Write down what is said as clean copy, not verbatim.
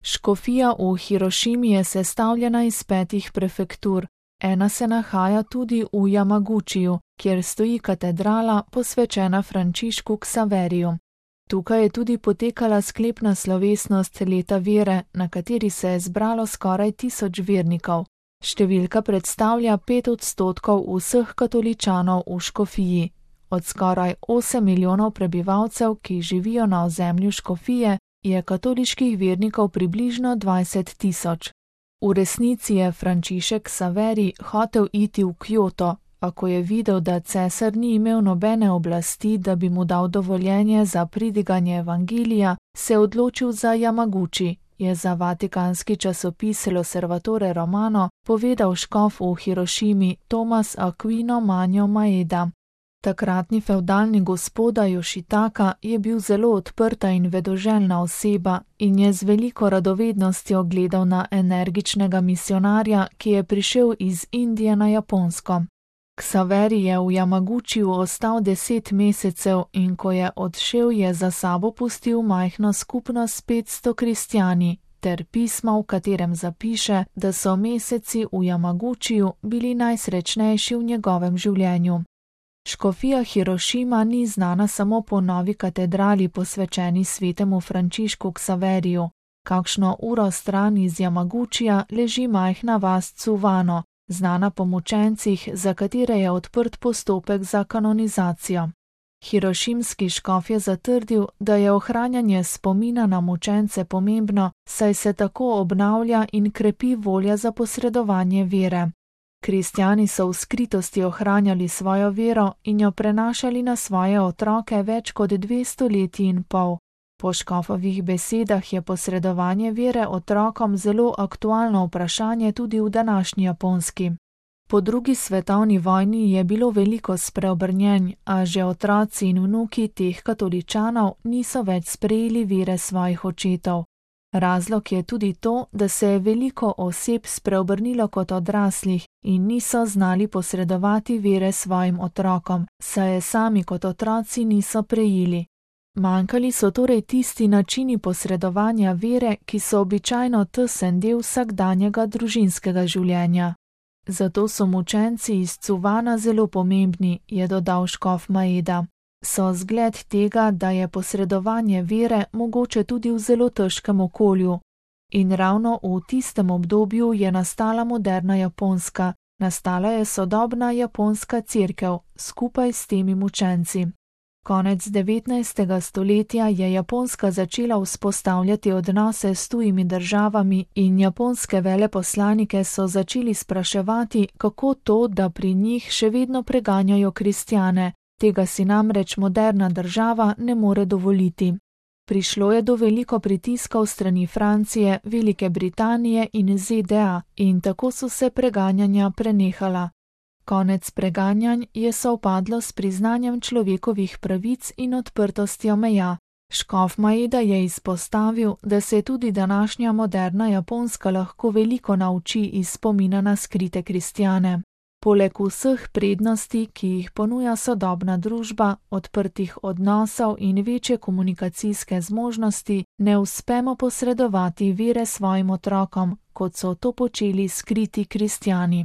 Škofija v Hirošimi je sestavljena iz 5 prefektur. Ena se nahaja tudi v Jamagučiju, kjer stoji katedrala posvečena Frančišku Ksaveriju. Tukaj je tudi potekala sklepna slovesnost leta vere, na kateri se je zbralo skoraj 1000 vernikov. Številka predstavlja 5% vseh katoličanov v škofiji. Od skoraj 8 milijonov prebivalcev, ki živijo na ozemlju škofije, je katoliških vernikov približno 20 000. V resnici je Frančišek Ksaveri hotel iti v Kjoto, a ko je videl, da cesar ni imel nobene oblasti, da bi mu dal dovoljenje za pridiganje evangelija, se je odločil za Jamaguči, je za vatikanski časopis L'Osservatore Romano povedal škof v Hirošimi Tomas Aquino Manjo Maeda. Takratni fevdalni gospoda Jošitaka je bil zelo odprta in vedoželjna oseba in je z veliko radovednostjo gledal na energičnega misionarja, ki je prišel iz Indije na Japonsko. Ksaveri je v Jamagučiju ostal 10 mesecev in ko je odšel, je za sabo pustil majhno skupnost s 500 kristjani ter pismo, v katerem zapiše, da so meseci v Jamagučiju bili najsrečnejši v njegovem življenju. Škofija Hirošima ni znana samo po novi katedrali posvečeni svetemu Frančišku Ksaveriju. Kakšno uro stran iz Jamagučija leži majhna vas Tsuvano, znana po mučencih, za katere je odprt postopek za kanonizacijo. Hirošimski škof je zatrdil, da je ohranjanje spomina na mučence pomembno, saj se tako obnavlja in krepi volja za posredovanje vere. Kristjani so v skritosti ohranjali svojo vero in jo prenašali na svoje otroke več kot 200 leti in pol. Po škofovih besedah je posredovanje vere otrokom zelo aktualno vprašanje tudi v današnji Japonski. Po 2. svetovni vojni je bilo veliko spreobrnjenj, a že otroci in vnuki teh katoličanov niso več sprejeli vere svojih očetov. Razlog je tudi to, da se je veliko oseb spreobrnilo kot odraslih in niso znali posredovati vere svojim otrokom, saj je sami kot otroci niso prejeli. Manjkali so torej tisti načini posredovanja vere, ki so običajno tesen del vsakdanjega družinskega življenja. Zato so mučenci iz Tsuvana zelo pomembni, je dodal škof Maeda. So zgled tega, da je posredovanje vere mogoče tudi v zelo težkem okolju. In ravno v tistem obdobju je nastala moderna Japonska, nastala je sodobna japonska cerkev skupaj s temi mučenci. Konec 19. stoletja je Japonska začela vzpostavljati odnose s tujimi državami in japonske veleposlanike so začeli spraševati, kako to, da pri njih še vedno preganjajo kristjane. Tega si namreč moderna država ne more dovoliti. Prišlo je do veliko pritiskov strani Francije, Velike Britanije in ZDA in tako so se preganjanja prenehala. Konec preganjanj je sovpadlo s priznanjem človekovih pravic in odprtostjo meja. Škof Maeda je izpostavil, da se tudi današnja moderna Japonska lahko veliko nauči iz spomina na skrite kristjane. Poleg vseh prednosti, ki jih ponuja sodobna družba, odprtih odnosov in večje komunikacijske zmožnosti, ne uspemo posredovati vere svojim otrokom, kot so to počeli skriti kristjani.